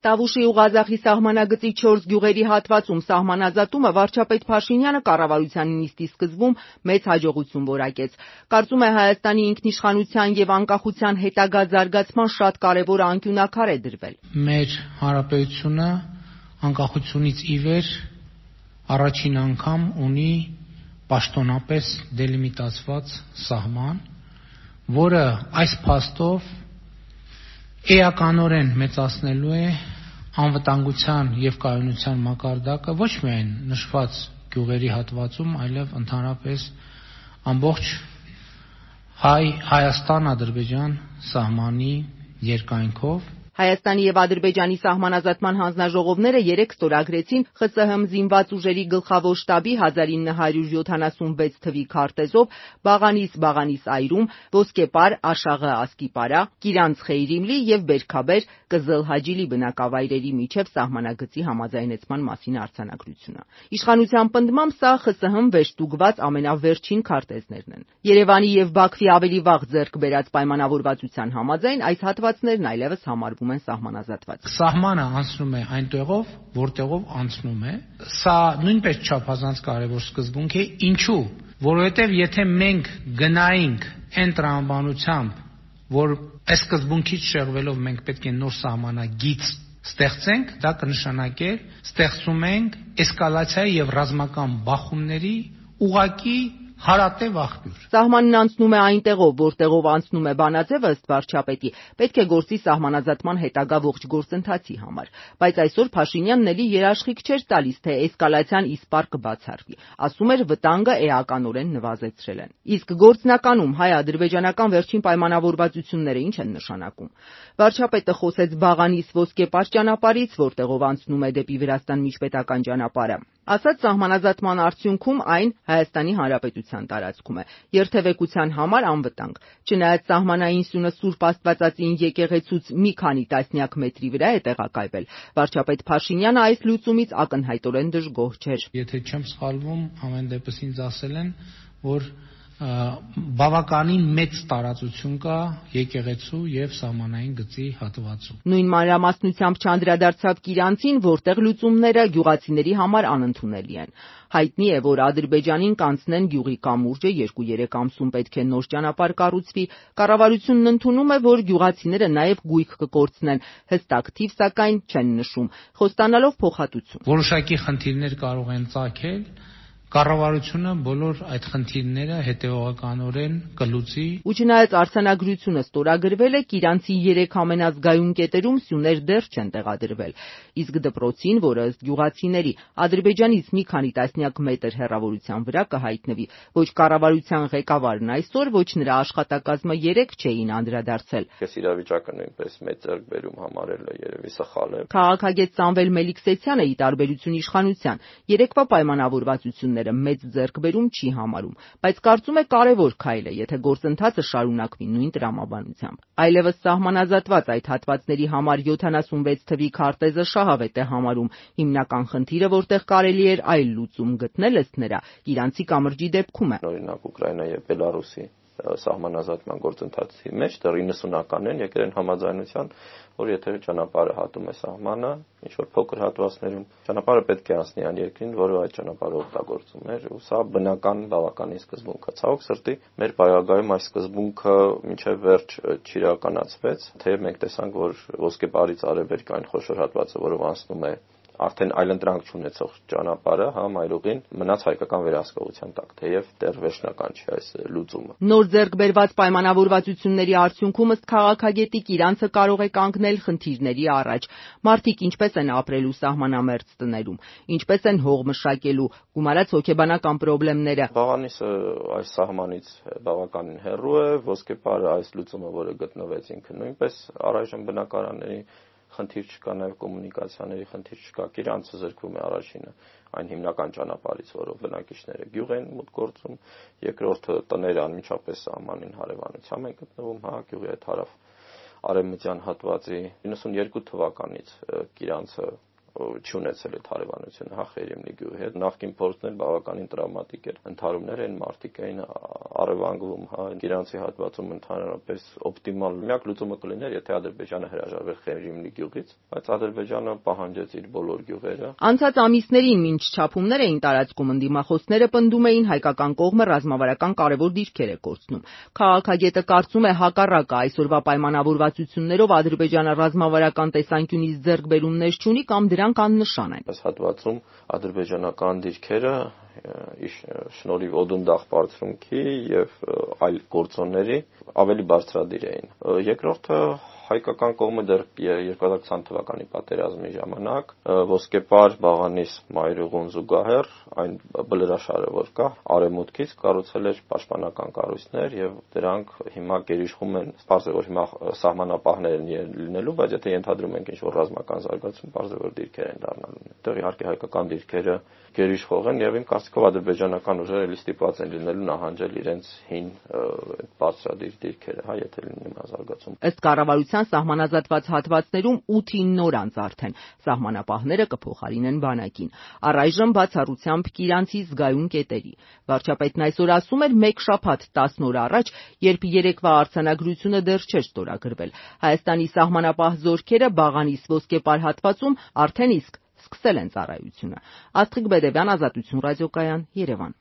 Տավուշի ու Ղազախի սահմանագծի 4 գյուղերի հատվածում սահմանազատումը վարչապետ Փաշինյանը կառավարության նիստի սկզբում մեծ հաջողություն որակեց։ Կարծում է Հայաստանի ինքնիշխանության եւ անկախության հետագա զարգացման շատ կարեւոր անկյունաքար է դրվել։ Մեր հանրապետությունը անկախությունից ի վեր առաջին անգամ ունի պաշտոնապես դելիմիտացված սահման, որը այս փաստով էականորեն մեծացնելու է անվտանգության եւ կայունության մակարդակը ոչ միայն նշված գյուղերի հատվածում, այլև ընդհանրապես ամբողջ Հայաստան-Ադրբեջան սահմանի երկայնքով։ Հայաստանի եւ Ադրբեջանի սահմանազատման հանձնաժողովները երեկ ստորագրեցին ԽՍՀՄ զինված ուժերի գլխավոր շտաբի 1976 թվի քարտեզով Բաղանիս այրում, Ոսկեպար, Աշաղը, Ասկիպարա, Կիրանց Խեյրիմլի եւ Բերքաբեր, Կզլ Հաջիլի բնակավայրերի միջև սահմանագծի համաձայնեցման մասին արձանագրությունը։ Իշխանության պնդմամբ սա ԽՍՀՄ վերստուգված ամենավերջին քարտեզներն են։ Երևանի եւ Բաքվի ավելի վաղ ձեռք բերած պայմանավորվածության համաձայն այս հատվածներն այլևս համարվում են սահմանազատված։ Սահմանը անցնում է այնտեղով, որտեղով անցնում է։ Սա նույնպես չափազանց կարևոր սկզբունք է, ինչու՞։ Որովհետև եթե մենք գնայինք այն տրամաբանությամբ, որ այս սկզբունքից շեղվելով մենք պետք է նոր սահմանագիծ ստեղծենք, դա կնշանակեր ստեղծում ենք էսկալացիայի եւ ռազմական բախումների ուղղակի հարատև աղբյուր։ Սահմանն անցնում է այնտեղով, որտեղով անցնում է բանաձևը, ըստ վարչապետի, պետք է գործի սահմանազատման հետագա ողջ գործընթացի համար։ Բայց այսօր Փաշինյանն էլի երաշխիք չէր տալիս, թե էսկալացիան իսպառ կբացառվի։ Ասում էր, վտանգը էականորեն նվազեցրել են։ Իսկ գործնականում հայ-ադրբեջանական վերջին պայմանավորվածությունները ինչ են նշանակում։ Վարչապետը խոսեց Բաղանիս Ոսկեպար ճանապարհից, որտեղով անցնում է դեպի Վրաստան միջպետական ճանապարհը։ Ասած սահմանազատման արդյունքում այն Հայաստանի Հանրապետության տարածքում է, երթևեկության համար անվտանգ։ Չնայած սահմանային սյունը Սուրբ Աստվածածին եկեղեցուց մի քանի տասնյակ մետրի վրա է տեղակայվել, վարչապետ Փաշինյանը այս լուծումից ակնհայտորեն դժգոհ չէր։ Եթե չեմ սխալվում, ամեն դեպս ինձ ասել են, որ բավականին մեծ տարածություն կա եկեղեցու եւ սահմանային գծի հատվածում։ Նույն մանրամասնությամբ չանդրադարձավ Կիրանցին, որտեղ լուծումները գյուղացիների համար անընդունելի են։ Հայտնի է, որ Ադրբեջանին կանցնեն գյուղի կամուրջը 2-3 ամսում պետք է նոր ճանապարհ կառուցվի։ Կառավարությունն ընդունում է, որ գյուղացիները նաեւ գույք կկորցնեն, հստակ թիվ սակայն չեն նշում, խոստանալով փոխհատուցում։ Որոշակի խնդիրներ կարող են ծագել, կառավարությունը բոլոր այդ խնդիրները հետևողականորեն կլուծի։ Ու չնայած արձանագրությունը ստորագրվել է, Կիրանցի 3 ամենազգայուն կետերում սյուներ դեռ չեն տեղադրվել։ Իսկ դպրոցին, որը ըստ գյուղացիների Ադրբեջանից մի քանի տասնյակ մետր հեռավորության վրա կհայտնվի, ոչ կառավարության ղեկավարն այսօր, ոչ նրա աշխատակազմը երեկ չէին անդրադարձել։ Այս իրավիճակը նույնպես մեծ ձեռքբերում համարելը երևի սխալ է։ Քաղաքագետ Սամվել Մելիքսեթյանը, ի տարբերություն իշխանության, երեկվա պայմանավորվածությունները մեծ ձեռքբերում չի համարում, բայց կարծում է կարևոր քայլ է, եթե գործընթացը շարունակվի նույն տրամաբանությամբ։ Այլևս սահմանազատված այդ հատվածների համար 76 թվի քարտեզը շահավետ է համարում։ Հիմնական խնդիրը, որտեղ կարելի էր այլ լուծում գտնել, ըստ նրա, Իրանցի կամրջի դեպքում է։ Օրինակ Ուկրաինա եւ Բելարուսի սահմանազատման գործընթացի մեջ դեռ 90-ականներին եկել են համաձայնության, որ եթե ճանապարհը հատում է սահմանը, ինչ որ փոքր հատվածներում, ճանապարհը պետք է անցնի այն երկրին, որը այդ ճանապարհը օգտագործում էր, ու սա բնական բավականին սկզբունք է։ Ցավոք սրտի, մեր պարագայում այս սկզբունքը մինչև վերջ չիրականացվեց, թեև մենք տեսանք, որ Ոսկեպարից արևելք այն խոշոր հատվածը, որով անցնում է արդեն այլընտրանք չունեցող ճանապարհը, մայրուղին մնաց հայկական վերահսկողության տակ, թեև դեռ վերջնական չի այս լուծումը։ Նոր ձեռք բերված պայմանավորվածությունների արդյունքում ըստ քաղաքագետի Իրանցը կարող է կանգնել խնդիրների առաջ։ Մարդիկ ինչպես են ապրելու սահմանամերձ տներում, ինչպես են հող մշակելու, գումարած հոգեբանական խնդիրները։ Բաղանիսը այս սահմանից բավականին հեռու է, Ոսկեպարը այս լուծումը, որը գտնվեց ինքը նույնպես առայժմ բնակարանների խնդիր չկա, նաև կոմունիկացիաների խնդիր չկա։ Կիրանցը զրկվում է առաջինը այն հիմնական ճանապարհից, որով բնակիչները գյուղ են մուտք գործում, երկրորդը տները անմիջապես սահմանին հարևանությամբ են գտնվում, գյուղի այդ հարավ արևմտյան հատվածի 92 թվականից Կիրանցը չունեցել այդ հարևանությունը Խերեմլի գյուղի հետ։ Նախկին փորձն էլ բավականին տրավմատիկ էր։ Ընդհարումներ են, մարդիկ էին առևանգվում, իրանցի հատվածում ընդհանրապես օպտիմալ միակ լուծումը կլիներ, եթե Ադրբեջանը հրաժարվեր Խերեմլի գյուղից, բայց Ադրբեջանը պահանջեց իր բոլոր գյուղերը։ Անցած ամիսներին մինչ չափումներ էին տարածքում, ընդդիմախոսները պնդում էին հայկական կողմը ռազմավարական կարևոր դիրքեր է կորցնում։ Քաղաքագետը կարծում է հակառակը, այսօրվա պայմանավորվածություններով Ադրբեջանը ռազմավարական տեսանկյունից ձեռքբերումներ չունի կամ դրանք աննշան են։ Այս հատվածում ադրբեջանական դիրքերը շնորհիվ օդունդախ բարձրունքի եւ այլ գործոնների ավելի բարձրադիր էին։ Երկրորդը հայկական կողմը դեռ 2020 թվականի պատերազմի ժամանակ ոսկեպար Բաղանիս մայրուղուն զուգահեռ այն բլրաշարը, որ կա արևմուտքից կառուցել էր պաշտպանական կառույցներ եւ դրանք հիմա գերիշխում են, պարզ է որ հիմա սահմանապահներ են լինելու, բայց եթե ենթադրում ենք ինչ-որ ռազմական զարգացում, պարզ է որ դիրքեր են դառնալու։ Այդտեղ իհարկե հայկական դիրքերը գերիշխող են եւ իմ կարծիքով ադրբեջանական ուժերը էլի ստիպված են լինելու նահանջել իրենց հին բարձրադիր դիրքերը, եթե լինի զարգացում։ Ըստ կառավարության սահմանազատված հատվածներում 8-ին նոր անց արդեն սահմանապահները կփոխարինեն բանակին։ Առայժմ բացառությամբ Կիրանցի զգայուն կետերի։ Վարչապետն այսօր ասում էր մեկ շաբաթ 10 օր առաջ, երբ երեկվա արձանագրությունը դեռ չէր ստորագրվել։ Հայաստանի սահմանապահ զորքերը Բաղանիս ոսկեպար հատվածում արդեն իսկ սկսել են ծառայությունը։ Աստղիկ Բեդևյան, Ազատություն ռադիոկայան, Երևան։